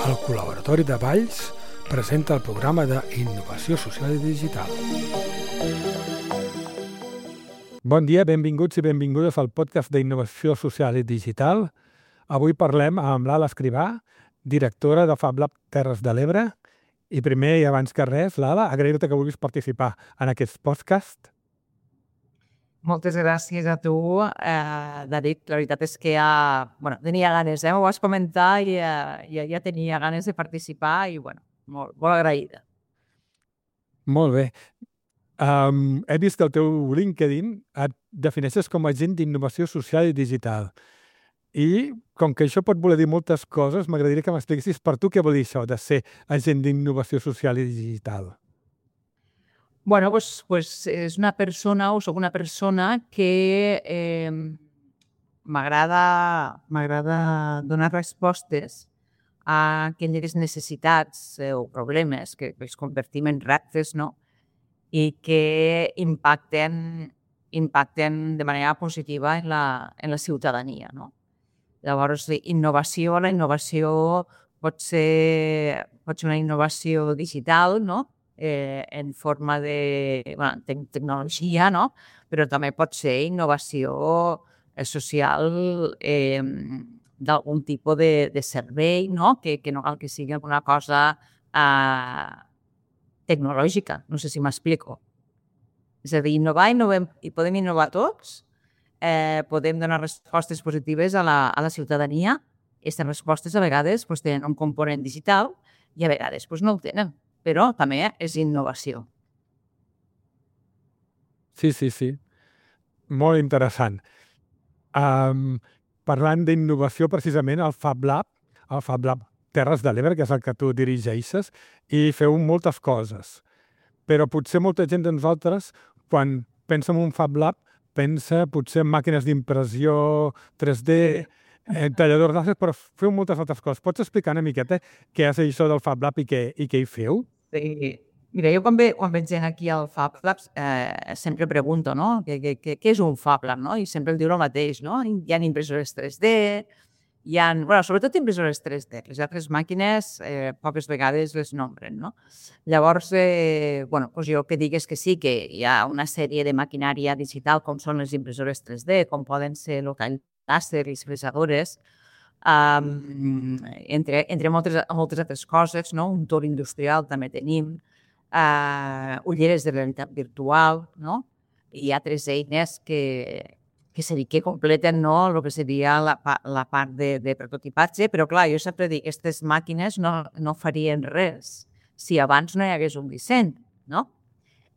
El Col·laboratori de Valls presenta el programa d'Innovació Social i Digital. Bon dia, benvinguts i benvingudes al podcast d'Innovació Social i Digital. Avui parlem amb l'Ala Escrivà, directora de FabLab Terres de l'Ebre. I primer i abans que res, l'Ala, agrair-te que vulguis participar en aquest podcast. Moltes gràcies a tu, David. La veritat és que tenia ganes, m'ho vas comentar i ja tenia ganes de participar i molt agraïda. Molt bé. He vist que el teu LinkedIn et defineixes com a agent d'innovació social i digital. I com que això pot voler dir moltes coses, m'agradaria que m'expliquessis per tu què vol dir això de ser agent d'innovació social i digital. És una persona o soc una persona que m'agrada donar respostes a aquelles necessitats o problemes que els convertim en reptes, no? I que impacten de manera positiva en la ciutadania, no? Llavors, la innovació pot ser una innovació digital, no? En forma de tecnologia, no? Però també pot ser innovació social d'algun tipus de servei, no? Que no cal que sigui alguna cosa tecnològica. No sé si m'explico. És a dir, innovem i podem innovar tots, podem donar respostes positives a la ciutadania. Aquestes respostes a vegades tenen un component digital i a vegades no el tenen. Però també és innovació. Sí. Molt interessant. Parlant d'innovació, precisament, el FabLab Terres de l'Ebre, que és el que tu dirigeixes, i feu moltes coses. Però potser molta gent de nosaltres, quan pensa en un FabLab, pensa potser en màquines d'impressió 3D, talladors d'àcids, però feu moltes altres coses. Pots explicar una miqueta què és això del FabLab i què hi feu? Sí. Mira, jo quan veig gent aquí al FabLab sempre pregunto, no? Què és un FabLab, no? I sempre el diu el mateix, no? Hi ha impressores 3D, sobretot impressores 3D. Les altres màquines poques vegades les nombren, no? Llavors, jo el que dic és que sí, que hi ha una sèrie de maquinària digital com són les impressores 3D, com poden ser el tall làser i les fresadores, entre moltes altres coses, no? Un torn industrial també tenim, ulleres de realitat virtual, no? I altres eines que completen, no? El que seria la part de prototipatge, però clar, jo sempre dic, aquestes màquines no farien res si abans no hi hagués un disseny, no?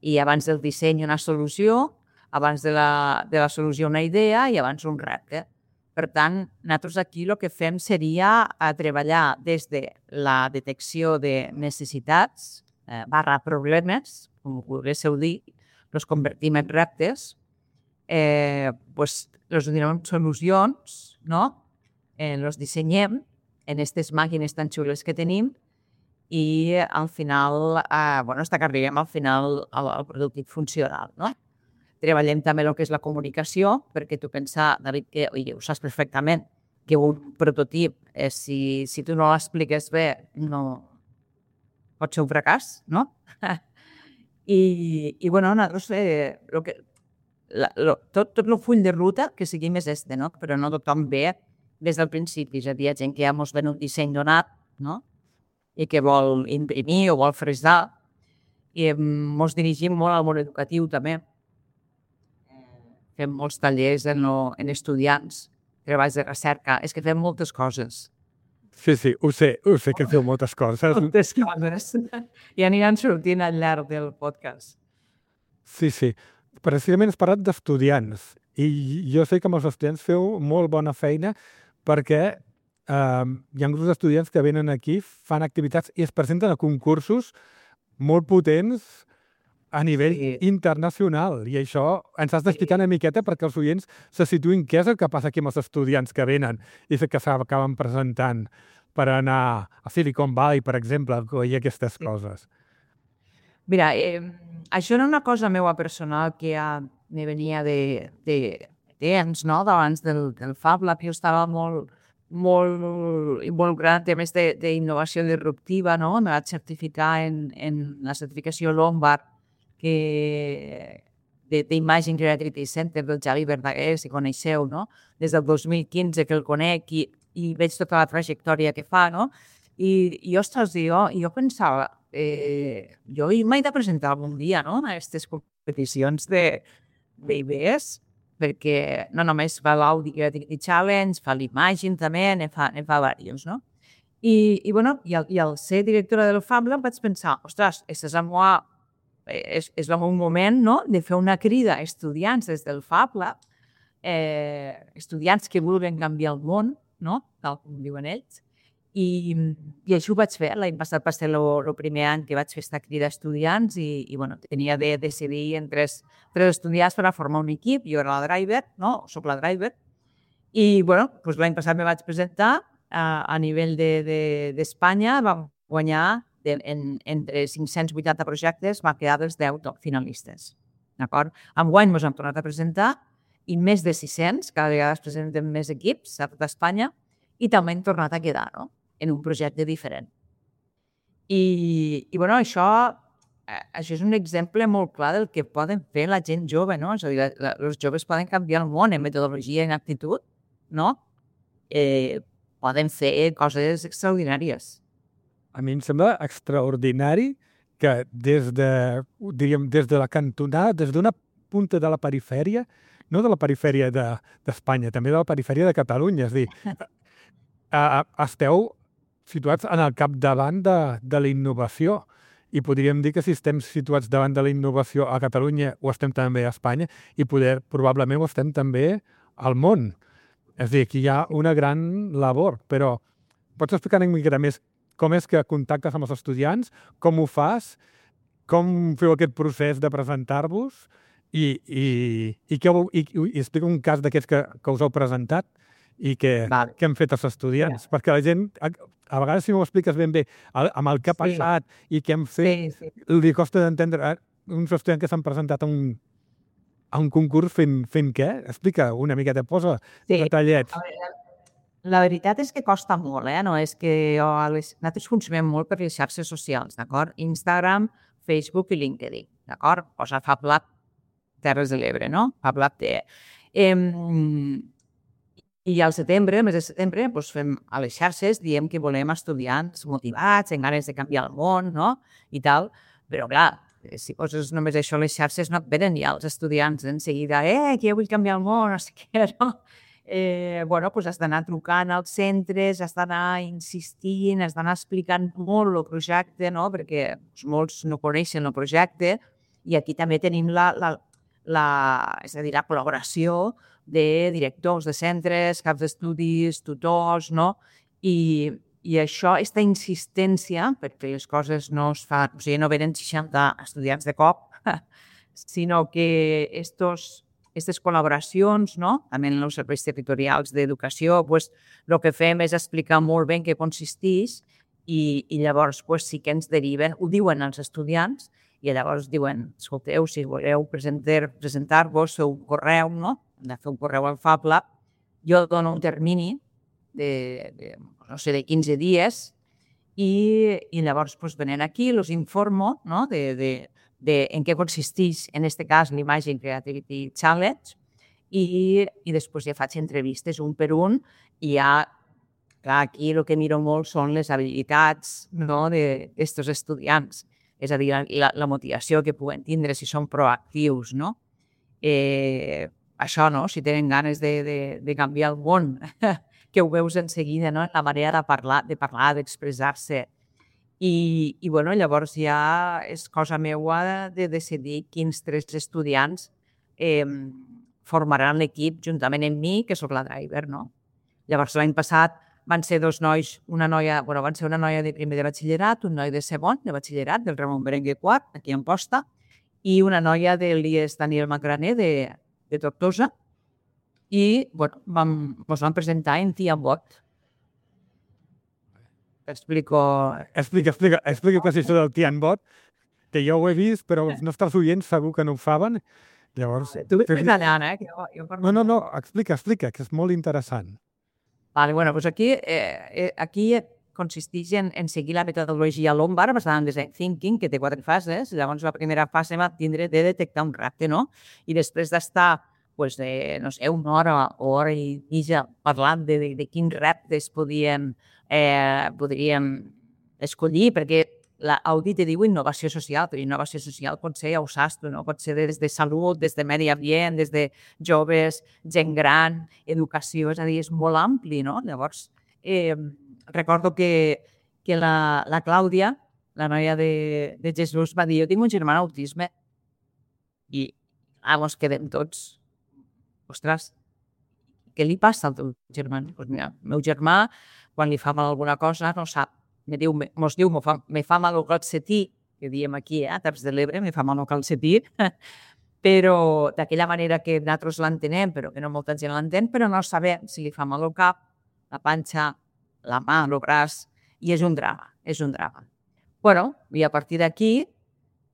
I abans del disseny una solució, abans de la solució una idea i abans un repte. Per tant, nosaltres aquí el que fem seria treballar des de la detecció de necessitats /problemes, com volguéssiu dir, els convertim en reptes, els donem solucions, no? Els dissenyem en aquestes màquines tan xules que tenim i al final, hasta que arribem al final al producte funcional, no? Treballem també el que és la comunicació, perquè tu pensa, David, que ho saps perfectament, que un prototip, si tu no l'expliques bé, no pot ser un fracàs, no? I nosaltres, tot el full de ruta que seguim és no? Però no tothom ve des del principi. És a dir, hi ha gent que ja ens ven un disseny donat, no? I que vol imprimir o vol fresar. I ens dirigim molt al món educatiu també. Fem molts tallers en estudiants, treballs de recerca. És que fem moltes coses. Sí, ho sé que feu moltes coses. Moltes coses. I aniran sortint al llarg del podcast. Sí. Precisament has parlat d'estudiants. I jo sé que amb els estudiants feu molt bona feina perquè hi ha grups d'estudiants que venen aquí, fan activitats i es presenten a concursos molt potents a nivell internacional. I això ens has d'explicar una miqueta perquè els oients se situïn què és el que passa aquí amb els estudiants que venen i que s'acaben presentant per anar a Silicon Valley, per exemple, i aquestes coses. Mira, això era una cosa meva personal que ja me venia de temps, no? D'abans del FabLab. Jo estava molt molt involucrada en temes d'innovació disruptiva, no? Me vaig certificar en la certificació Lombard d'Imaging Creativity Center del Javi Verdaguer, si coneixeu, no? Des del 2015 que el conec i veig tota la trajectòria que fa, no? I ostres, jo pensava, jo m'he de presentar algun dia, no?, a aquestes competicions d'idees, perquè no només fa l'Audi Creativity Challenge, fa l'Imagine també, ne fa diversos, no? I al ser directora del Fab Lab vaig pensar, ostres, és el meu moment, no?, de fer una crida a estudiants des del Fab Lab, estudiants que vulguin canviar el món, no?, tal com diuen ells, i això ho vaig fer. L'any passat va ser el primer any que vaig fer aquesta crida a estudiants i tenia de decidir entre tres estudiants per a formar un equip. Jo era la driver, no? Soc la driver. I l'any passat me vaig presentar a nivell d'Espanya. Vam guanyar entre 580 projectes, va quedar dels 10 finalistes. D'acord? Enguany ens hem tornat a presentar i més de 600, cada vegada es presenten més equips a tota Espanya, i també hem tornat a quedar, no?, en un projecte diferent. I això és un exemple molt clar del que poden fer la gent jove, no? És a dir, els joves poden canviar el món en metodologia i en actitud, no? Poden fer coses extraordinàries. A mi em sembla extraordinari que des de la cantonada, des d'una punta de la perifèria, no de la perifèria d'Espanya, també de la perifèria de Catalunya, és a dir, esteu situats en el capdavant de la innovació i podríem dir que si estem situats davant de la innovació a Catalunya ho estem també a Espanya i probablement ho estem també al món. És a dir, aquí hi ha una gran labor, però pots explicar una mica més com és que contactes amb els estudiants, com ho fas, com feu aquest procés de presentar-vos i explica un cas d'aquests que us heu presentat i que hem fet els estudiants, perquè la gent, a vegades si no ho expliques ben bé, amb el que ha passat i què hem fet, li costa d'entendre uns estudiants que s'han presentat a un concurs fent què? Explica una miqueta, posa detallets. La veritat és que costa molt, no? És que nosaltres funcionem molt per les xarxes socials, d'acord? Instagram, Facebook i LinkedIn, d'acord? Posa Fab Lab Terres de l'Ebre, no? Fab Lab TE. I al setembre, el mes de setembre, fem a les xarxes, diem que volem estudiants motivats, amb ganes de canviar el món, no? I tal. Però, clar, si poses només això a les xarxes, no et venen ja els estudiants en seguida, que jo vull canviar el món, no sé què, no? Has d'anar trucant als centres, has d'anar insistint, has d'anar explicant molt el projecte, no? Perquè molts no coneixen el projecte, i aquí també tenim la col·laboració de directors de centres, caps d'estudis, tutors, no? I això, aquesta insistència, perquè les coses no es fan, o sigui, no venen 60 estudiants de cop, sinó que aquestes col·laboracions, no?, també en els serveis territorials d'educació, el que fem és explicar molt bé en què consisteix i llavors sí que ens deriven, ho diuen als estudiants, i llavors diuen, escolteu, si voleu presentar-vos, feu un correu, no?, hem de fer un correu al Fab Lab, jo dono un termini de 15 dies i llavors venen aquí, els informo, no?, de en què consisteix, en aquest cas, l'Imagine Creativity Challenge, i després ja faig entrevistes un per un, i ja, clar, aquí el que miro molt són les habilitats, no?, d'aquests estudiants, és a dir, la motivació que puguen tindre, si són proactius, no? Això, no?, si tenen ganes de canviar el món, que ho veus en seguida, no?, la manera de parlar, d'expressar-se. I llavors ja és cosa meua de decidir quins 3 estudiants formaran l'equip juntament amb mi, que sóc la driver, no? Llavors l'any passat van ser 2 nois, van ser una noia de primer de batxillerat, un noi de segon de batxillerat, del Ramon Berenguer IV, aquí a Amposta, i una noia de l'IES Daniel Macrané, de Tortosa, i ens vam presentar en Tiambot. Explica què és això del Tiambot, que jo ho he vist, però els nostres oients segur que no ho saben. Llavors... Tu ves allà, No, explica, que és molt interessant. Vale, bueno, doncs aquí consisteix en seguir la metodologia Lombard basada en Design Thinking, que té 4 fases. Llavors, la primera fase va tindre de detectar un repte, no? I després d'estar, pues, no sé, una hora o hora i mitja parlant de quins reptes podríem escollir, perquè l'audit diu innovació social, però innovació social pot ser, ja ho saps tu, no? Pot ser des de salut, des de medi ambient, des de joves, gent gran, educació, és a dir, és molt ampli, no? Llavors, recordo que la Clàudia, la noia de Jesús, va dir, jo tinc un germà amb autisme, i ens quedem tots, ostres, què li passa al teu germà? Doncs mira, el meu germà, quan li fa mal alguna cosa, no sap. Mos diu, me fa mal el calcetí, que diem aquí, a Terres de l'Ebre, me fa mal el calcetí, però d'aquella manera que nosaltres l'entenem, però que no molta gent l'entén, però no sabem si li fa mal el cap, la panxa, la mà, el braç, i és un drama, és un drama. Bueno, i a partir d'aquí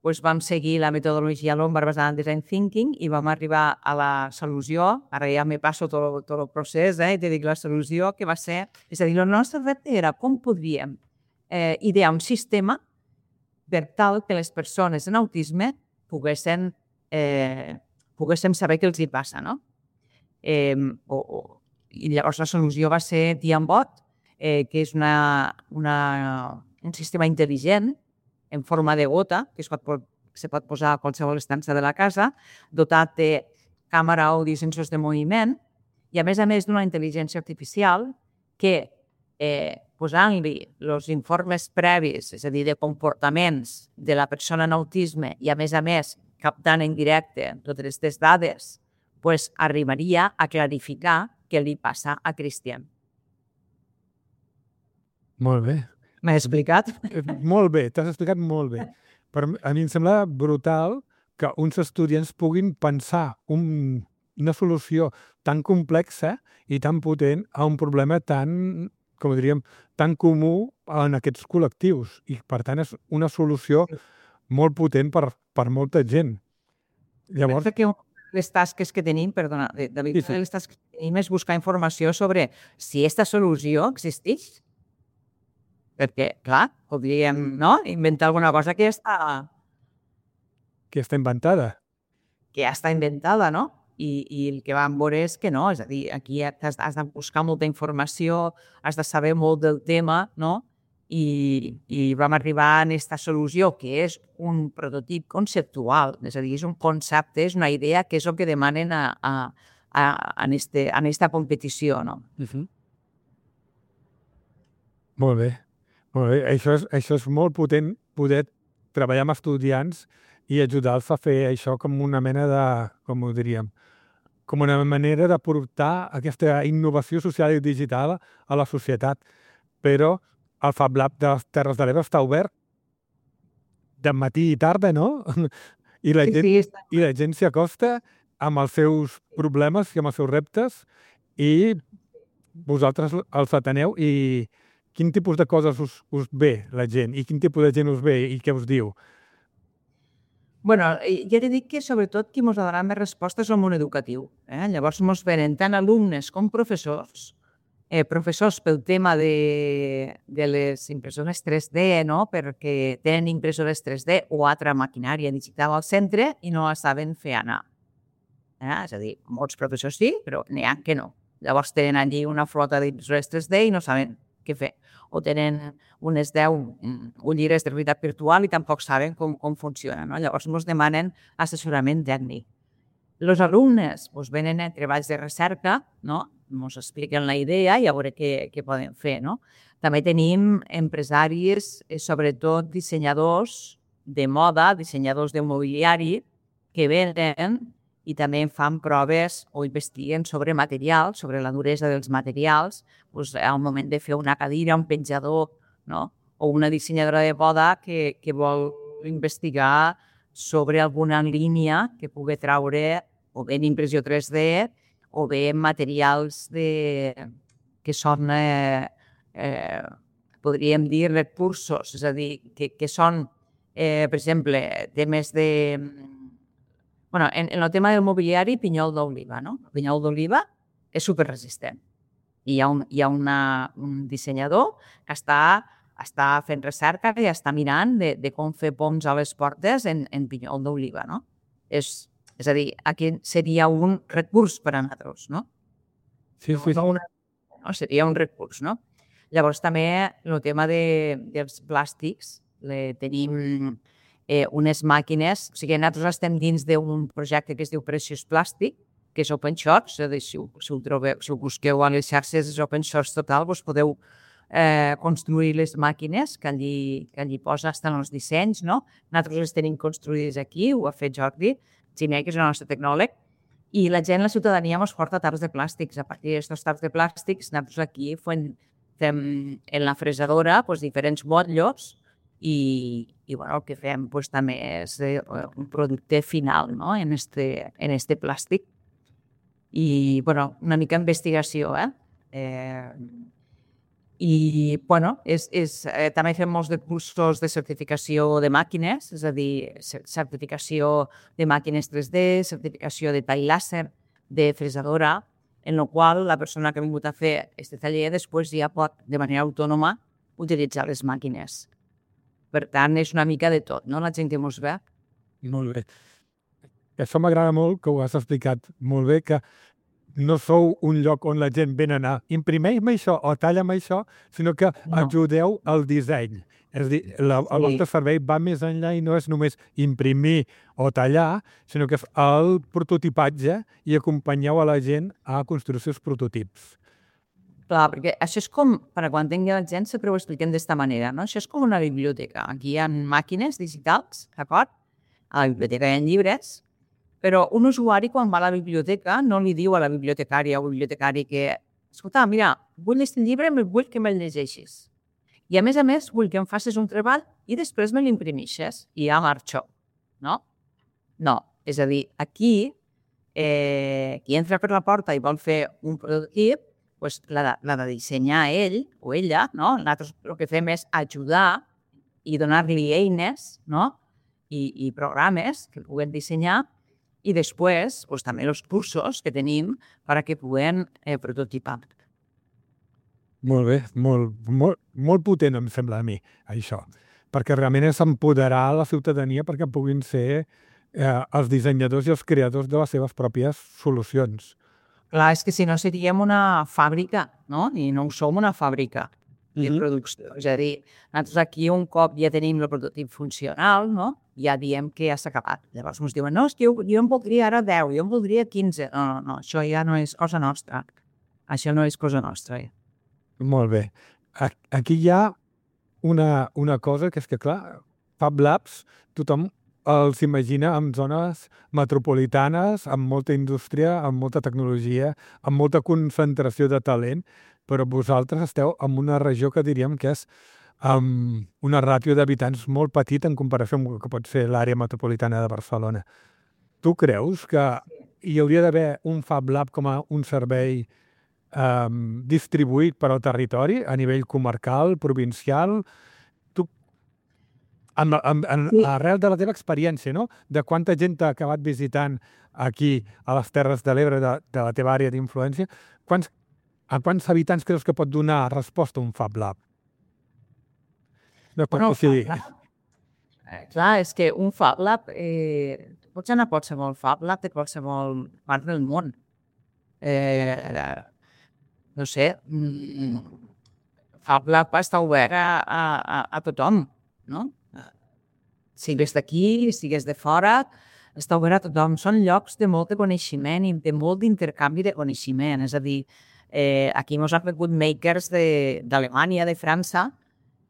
doncs vam seguir la metodologia Lombard basada en Design Thinking i vam arribar a la solució, ara ja me passo tot el procés, i te dic la solució que va ser, és a dir, el nostre repte era com podríem idear un sistema per tal que les persones en autisme poguessin saber què els hi passa, no? I llavors la solució va ser Tiambot, que és un sistema intel·ligent en forma de gota, que se pot posar a qualsevol estança de la casa, dotat de càmera, àudio i sensors de moviment, i a més d'una intel·ligència artificial que posant-li els informes previs, és a dir, de comportaments de la persona en autisme i a més captant en directe totes aquestes dades, arribaria a clarificar què li passa a Cristian. Molt bé. M'he explicat? Molt bé, t'has explicat molt bé. A mi em sembla brutal que uns estudiants puguin pensar una solució tan complexa i tan potent a un problema tan, com diríem, tan comú en aquests col·lectius. I, per tant, és una solució molt potent per molta gent. Llavors, que les tasques que tenim, perdona, David, les tasques que tenim és buscar informació sobre si aquesta solució existeix. Perquè, clar, podríem inventar alguna cosa que està inventada. Que ja està inventada, no? I el que vam veure és que no, és a dir, aquí has de buscar molta informació, has de saber molt del tema, no? I vam arribar a aquesta solució, que és un prototip conceptual, és a dir, és un concepte, és una idea que és el que demanen en aquesta competició, no? Molt bé. Això és molt potent, poder treballar amb estudiants i ajudar-los a fer això com una mena de, com ho diríem, com una manera de portar aquesta innovació social i digital a la societat. Però el Fab Lab de les Terres de l'Ebre està obert de matí i tarda, no? I la gent s'hi acosta amb els seus problemes i amb els seus reptes i vosaltres els ateneu i quin tipus de coses us ve la gent i quin tipus de gent us ve i què us diu? Bueno, ja t'he dit que sobretot qui ens ha donat més respostes és el món educatiu. Llavors ens venen tant alumnes com professors, professors pel tema de les impressores 3D, no? Perquè tenen impressores 3D o altra maquinària digital al centre i no la saben fer anar. És a dir, molts professors sí, però n'hi ha que no. Llavors tenen allí una flota d'impressores 3D i no saben què fer. O tenen unes 10 ulleres de realitat virtual i tampoc saben com funciona, no? Llavors ens demanen assessorament tècnic. Els alumnes venen a treballs de recerca, no? Ens expliquen la idea i a veure què poden fer, no? També tenim empresaris, sobretot dissenyadors de moda, dissenyadors de mobiliari, que venen i també fan proves o investiguen sobre materials, sobre la duresa dels materials, al moment de fer una cadira, un penjador, no? O una dissenyadora de moda que vol investigar sobre alguna línia que pugui treure o bé en impressió 3D o bé en materials que són, podríem dir, recursos, és a dir, que són, per exemple, temes de... En el tema del mobiliari, pinyol d'oliva, no? El pinyol d'oliva és superresistent. I hi ha un dissenyador que està fent recerca i està mirant de com fer ponts a les portes en pinyol d'oliva, no? És a dir, aquest seria un recurs per a nosaltres, no? Sí, sí. No, seria un recurs, no? Llavors també el tema dels plàstics, tenim unes màquines, o sigui, nosaltres estem dins d'un projecte que es diu Precious Plastic, que és open source, és a dir, si ho trobeu, si ho busqueu a les xarxes, és open source total, vos podeu construir les màquines que allí posa, estan els dissenys, no? Nosaltres les tenim construïdes aquí, ho ha fet Jordi Giné, que és el nostre tecnòleg, i la gent, la ciutadania, ens porta taps de plàstics. A partir d'aquests taps de plàstics, nosaltres aquí fem en la fresadora diferents motllos i bueno, el que fem també és un producte final, no? en este plàstic. I bueno, una mica investigació, i bueno, també fem molts de cursos de certificació de màquines, és a dir, certificació de màquines 3D, certificació de tall làser, de fresadora, en la qual la persona que ha vingut a fer aquest taller després ja pot, de manera autònoma, utilitzar les màquines. Per tant, és una mica de tot, no? La gent que mos ve. Molt bé. Això m'agrada molt, que ho has explicat molt bé, que no sou un lloc on la gent ve a anar, imprimeix-me això o talla'm això, sinó que ajudeu al disseny. És a dir, el vostre servei va més enllà i no és només imprimir o tallar, sinó que és el prototipatge i acompanyeu a la gent a construir els seus prototips. Clar, perquè això és com, per quan tingui la gent, sempre ho expliquem d'esta manera, no? Això és com una biblioteca. Aquí hi ha màquines digitals, d'acord? A la biblioteca hi ha llibres, però un usuari, quan va a la biblioteca, no li diu a la bibliotecària o bibliotecari que escolta, mira, vull aquest llibre, vull que me'l llegeixis. I a més, vull que em facis un treball i després me l'imprimixes i ja marxo. No? No. És a dir, aquí, qui entra per la porta i vol fer un prototip, l'ha de dissenyar ell o ella, no? Nosaltres el que fem és ajudar i donar-li eines, no? I programes que puguen dissenyar i després també els cursos que tenim perquè puguen prototipar. Molt bé, molt potent em sembla a mi, això, perquè realment és empoderar la ciutadania perquè puguin ser els dissenyadors i els creadors de les seves pròpies solucions. Clar, és que si no seríem una fàbrica, no? I no som una fàbrica de producció. És a dir, nosaltres aquí un cop ja tenim el prototip funcional, no? Ja diem que ja s'ha acabat. Llavors ens diuen, no, és que jo en voldria ara 10, jo en voldria 15. No, això ja no és cosa nostra. Això no és cosa nostra. Molt bé. Aquí hi ha una cosa que és que, clar, Fab Labs, tothom els imagina en zones metropolitanes, amb molta indústria, amb molta tecnologia, amb molta concentració de talent, però vosaltres esteu en una regió que diríem que és amb una ràtio d'habitants molt petita en comparació amb el que pot ser l'àrea metropolitana de Barcelona. Tu creus que hi hauria d'haver un Fab Lab com a un servei distribuït per al territori a nivell comarcal, provincial? Tu, arrel de la teva experiència, no? De quanta gent t'ha acabat visitant aquí a les Terres de l'Ebre de la teva àrea d'influència, a quants habitants creus que pot donar resposta un Fab Lab? Clar, és que un Fab Lab pots anar a qualsevol Fab Lab de qualsevol part del món. No sé, Fab Lab està obert a tothom, no? Sigues d'aquí, sigues de fora, està obert a tothom. Són llocs de molt de coneixement i de molt d'intercanvi de coneixement. És a dir, aquí ens han vingut makers d'Alemanya, de França,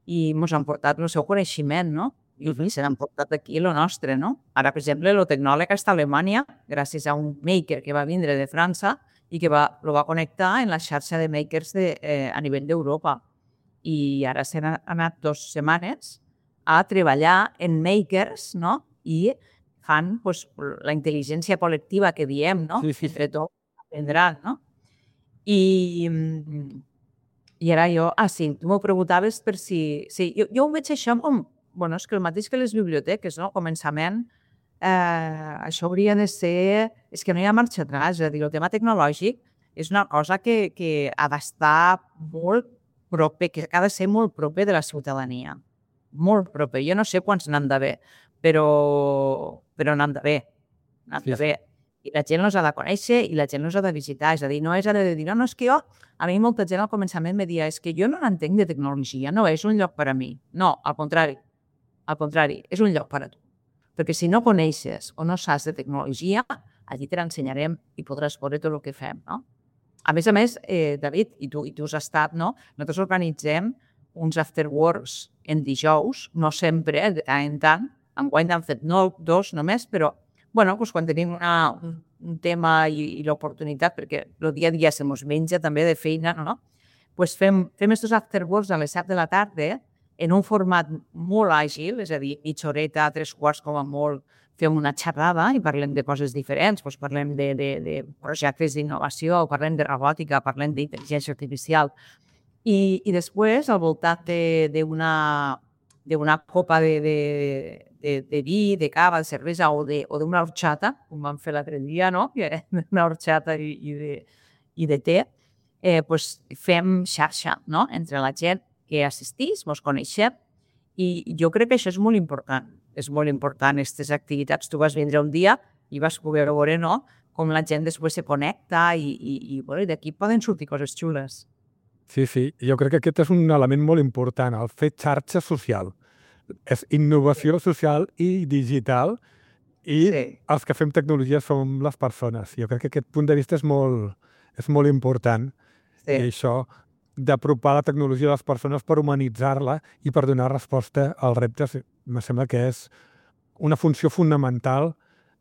i ens han portat el seu coneixement, no? I se n'han portat aquí el nostre, no? Ara, per exemple, el tecnòleg està a Alemanya gràcies a un maker que va vindre de França i que lo va connectar en la xarxa de makers a nivell d'Europa. I ara s'han anat 2 setmanes a treballar en makers, no? I fan la intel·ligència col·lectiva que diem, no? Sí. Tot aprendran, no? I ara jo... sí, tu m'ho preguntaves per si... Sí, jo ho veig això com... Bueno, és que el mateix que les biblioteques, no? Començament, això hauria de ser... És que no hi ha marxa atrás, és a dir, el tema tecnològic és una cosa que ha d'estar molt proper, que ha de ser molt proper de la ciutadania. Molt proper. Jo no sé quants n'han d'haver, però n'han d'haver. N'han d'haver. I la gent els ha de conèixer i la gent els ha de visitar. És a dir, no és de dir, no, és que jo... A mi molta gent al començament me deia, és que jo no n'entenc de tecnologia, no és un lloc per a mi. No, al contrari. Al contrari, és un lloc per a tu. Perquè si no coneixes o no saps de tecnologia, allí te l'ensenyarem i podràs veure tot el que fem, no? A més, David, i tu has estat, no? Nosaltres organitzem uns afterworks en dijous, no sempre, de tant en tant. Enguany han fet 2 només, però bueno, doncs quan tenim un tema i l'oportunitat, perquè el dia a dia se mos menja també de feina, no? Doncs fem aquests afterworks a les 7 de la tarda en un format molt àgil, és a dir, mitja horeta, 3/4 com a molt, fem una xerrada i parlem de coses diferents, doncs parlem de projectes d'innovació, parlem de robòtica, parlem d'intel·ligència artificial. I després, al voltant d'una copa de vi, de cava, de cervesa o d'una horchata, com vam fer l'altre dia, no? Una horchata i de te, doncs fem xarxa, no? Entre la gent que assistís, mos coneixem, i jo crec que això és molt important. És molt important, aquestes activitats. Tu vas vindre un dia i vas poder veure, no?, com la gent després se connecta i d'aquí poden sortir coses xules. Sí, jo crec que aquest és un element molt important, el fer xarxa social. És innovació social i digital i els que fem tecnologia som les persones. Jo crec que aquest punt de vista és molt important. I això d'apropar la tecnologia a les persones per humanitzar-la i per donar resposta als reptes, em sembla que és una funció fonamental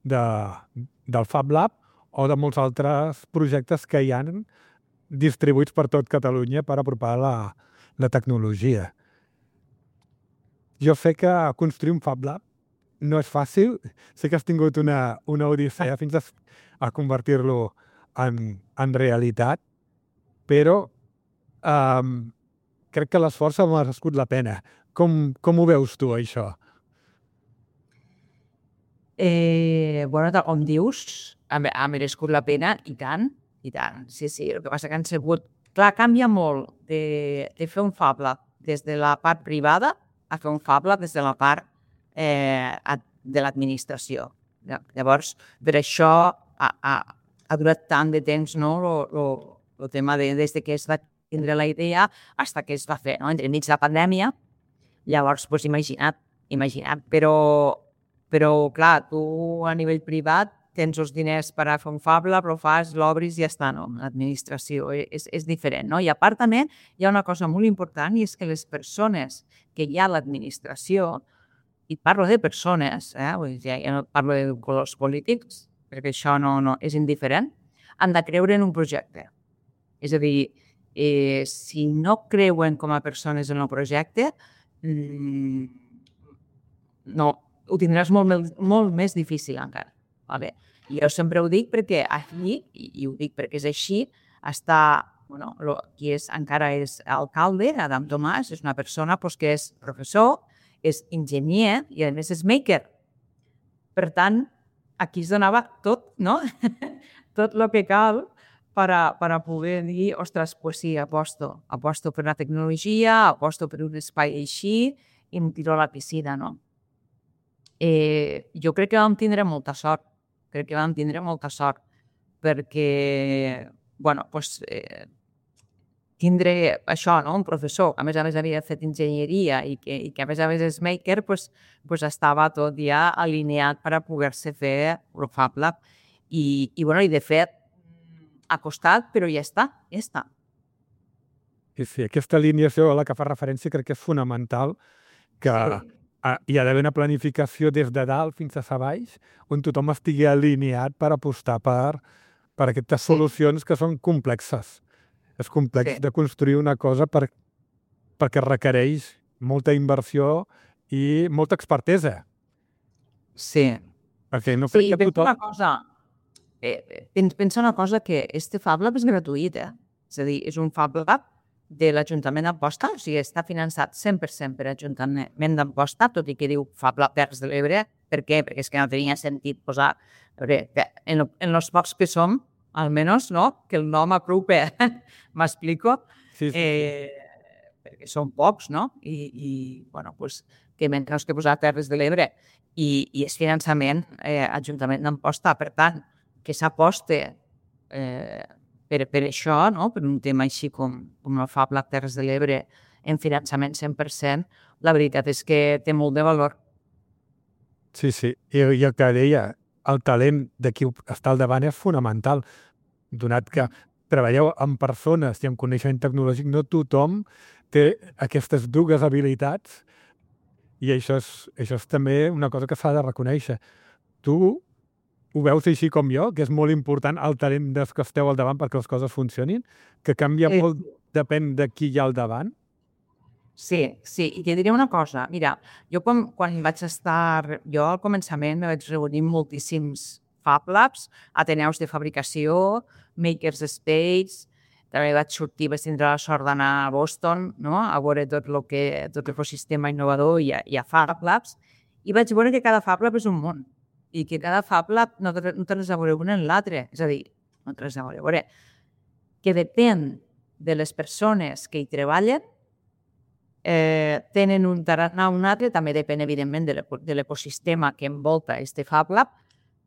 del Fab Lab o de molts altres projectes que hi han distribuïts per tot Catalunya per apropar la tecnologia. Jo sé que construir un Fab Lab no és fàcil. Sé que has tingut una odissea fins a convertir-lo en realitat, però crec que l'esforç ha merescut la pena. Com ho veus tu, això? Com dius, ha merescut la pena, i tant, i tant. Sí, el que passa que han sigut... Clar, canvia molt de fer un Fab Lab des de la part privada a fer un Fab Lab des de la part de l'administració. Llavors, per això ha durat tant de temps, no?, el tema des que es va tindre la idea fins que es va fer, no?, entre mig de la pandèmia. Llavors, doncs imagina't, però clar, tu a nivell privat tens els diners per a fer un Fab Lab, però l'obris i ja està, no? L'administració és diferent, no? I a part també hi ha una cosa molt important, i és que les persones que hi ha a l'administració, i parlo de persones, ja no parlo de colors polítics, perquè això no és indiferent, han de creure en un projecte. És a dir, si no creuen com a persones en el projecte, no, ho tindràs molt més difícil encara. Vale? Jo sempre ho dic perquè aquí, i ho dic perquè és així, qui encara és alcalde, Adam Tomàs, és una persona que és professor, és enginyer i a més és maker. Per tant, aquí es donava tot, no? Tot el que cal per a poder dir, ostres, doncs sí, aposto per la tecnologia, aposto per un espai així i em tiro a la piscina, no? Jo crec que vam tindre molta sort. Perquè, tindre això, no?, un professor que a més havia fet enginyeria i que a més és maker, estava tot ja alineat per a poder-se fer el Fab Lab. I de fet, ha costat, però ja està. Sí, aquesta alineació a la que fa referència crec que és fonamental, que hi ha d'haver una planificació des de dalt fins a baix, on tothom estigui alineat per apostar per aquestes solucions que són complexes. És complex de construir una cosa perquè requereix molta inversió i molta expertesa. Sí. Perquè no crec que tothom... Pensa una cosa, que este Fab Lab és gratuït, És a dir, és un Fab Lab de l'Ajuntament d'Amposta, o sigui, està finançat 100% per l'Ajuntament d'Amposta, tot i que diu Fab Lab Terres de l'Ebre. Per què? Perquè és que no tenia sentit posar... En els pocs que som, almenys, no? Que el nom aprope, m'explico? Sí, sí. Perquè són pocs, no? Bueno, pues, que menys que posar Terres de l'Ebre i és finançament Ajuntament d'Amposta. Per tant, que s'aposte per això, no? Per un tema així com el Fab Lab Terres de l'Ebre en finançament 100%, la veritat és que té molt de valor. Sí, sí. I el que deia, el talent de qui està al davant és fonamental, donat que treballeu amb persones i amb coneixement tecnològic, no tothom té aquestes dues habilitats i això és també una cosa que s'ha de reconèixer. Tu ho veus així com jo, que és molt important el talent dels que esteu al davant perquè les coses funcionin, que canvia molt, depèn de qui hi ha al davant? Sí, i te diré una cosa. Mira, jo quan vaig estar... Jo al començament me vaig reunir moltíssims Fab Labs, ateneus de fabricació, Makers Space, també vaig sortir, vaig tindre la sort d'anar a Boston, no? A veure tot l'ecosistema innovador i a Fab Labs, i vaig veure que cada Fab Lab és un món, i que cada Fab Lab no té res a veure un en l'altre. És a dir, no té res a veure. Que depèn de les persones que hi treballen, tenen un tarannà o un altre, també depèn evidentment de l'ecosistema que envolta este Fab Lab,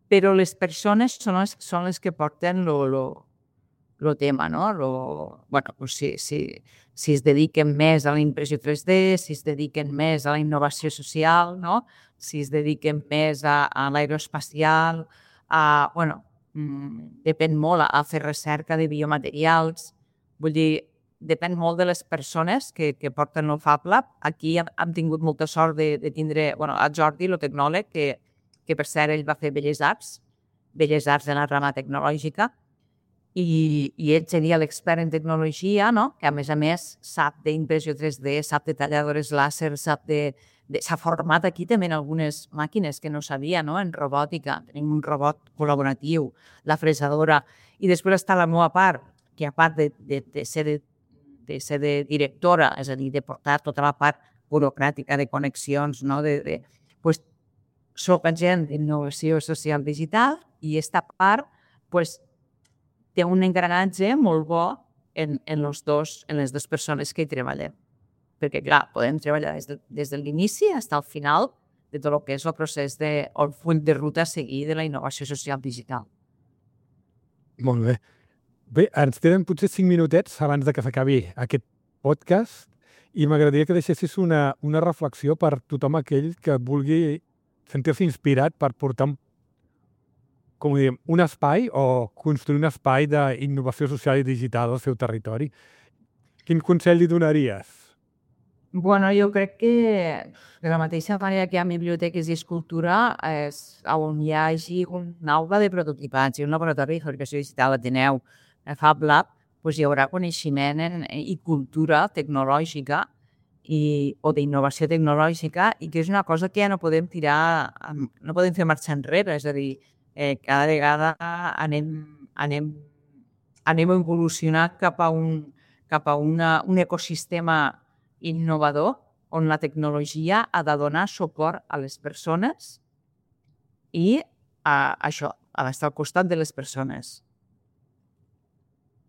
però les persones són les que porten el tema, no? Bueno, pues si es dediquen més a la impressió 3D, si es dediquen més a la innovació social, no? Si es dediquen més a l'aeroespacial, bueno, depèn molt a fer recerca de biomaterials, vull dir, depèn molt de les persones que porten el Fab Lab. Aquí hem tingut molta sort de tindre a Jordi, el tecnòleg, que per cert ell va fer Belles Arts de la rama tecnològica, i ell seria l'expert en tecnologia, no? Que a més sap d'impressió 3D, sap de talladores làser, s'ha format aquí també en algunes màquines que no sabia, no? En robòtica, tenim un robot col·laboratiu, la fresadora, i després està la meva part, que a part de ser de directora, és a dir, de portar tota la part burocràtica de connexions, no? Pues, soc agent d'innovació social digital i aquesta part té un engranatge molt bo en les dues persones que hi treballen. Perquè, clar, podem treballar des de l'inici fins al final de tot el que és el procés el full de ruta a seguir de la innovació social digital. Molt bé. Bé, ens queden potser 5 minutets abans de que s'acabi aquest podcast i m'agradaria que deixessis una reflexió per tothom aquell que vulgui sentir-se inspirat per portar un espai o construir un espai d'innovació social i digital al seu territori. Quin consell li donaries? Bueno, jo crec que de la mateixa manera que hi ha biblioteques i escultura, on hi hagi una aula de prototipats i un laboratori de fabricació digital Ateneu, Fab Lab, hi haurà coneixement i cultura tecnològica o d'innovació tecnològica, i que és una cosa que ja no podem fer marxa enrere, és a dir, cada vegada anem evolucionant cap a un ecosistema innovador on la tecnologia ha de donar suport a les persones i això, ha d'estar al costat de les persones.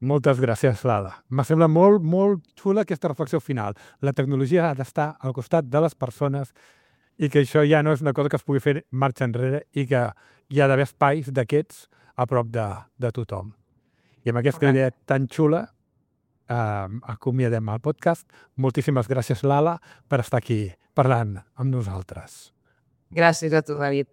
Moltes gràcies, Lala. M'ha semblat molt, molt xula aquesta reflexió final. La tecnologia ha d'estar al costat de les persones i que això ja no és una cosa que es pugui fer marxa enrere i que hi ha d'haver espais d'aquests a prop de tothom. I amb aquesta idea tan xula acomiadem el podcast. Moltíssimes gràcies, Lala, per estar aquí parlant amb nosaltres. Gràcies a tu, David.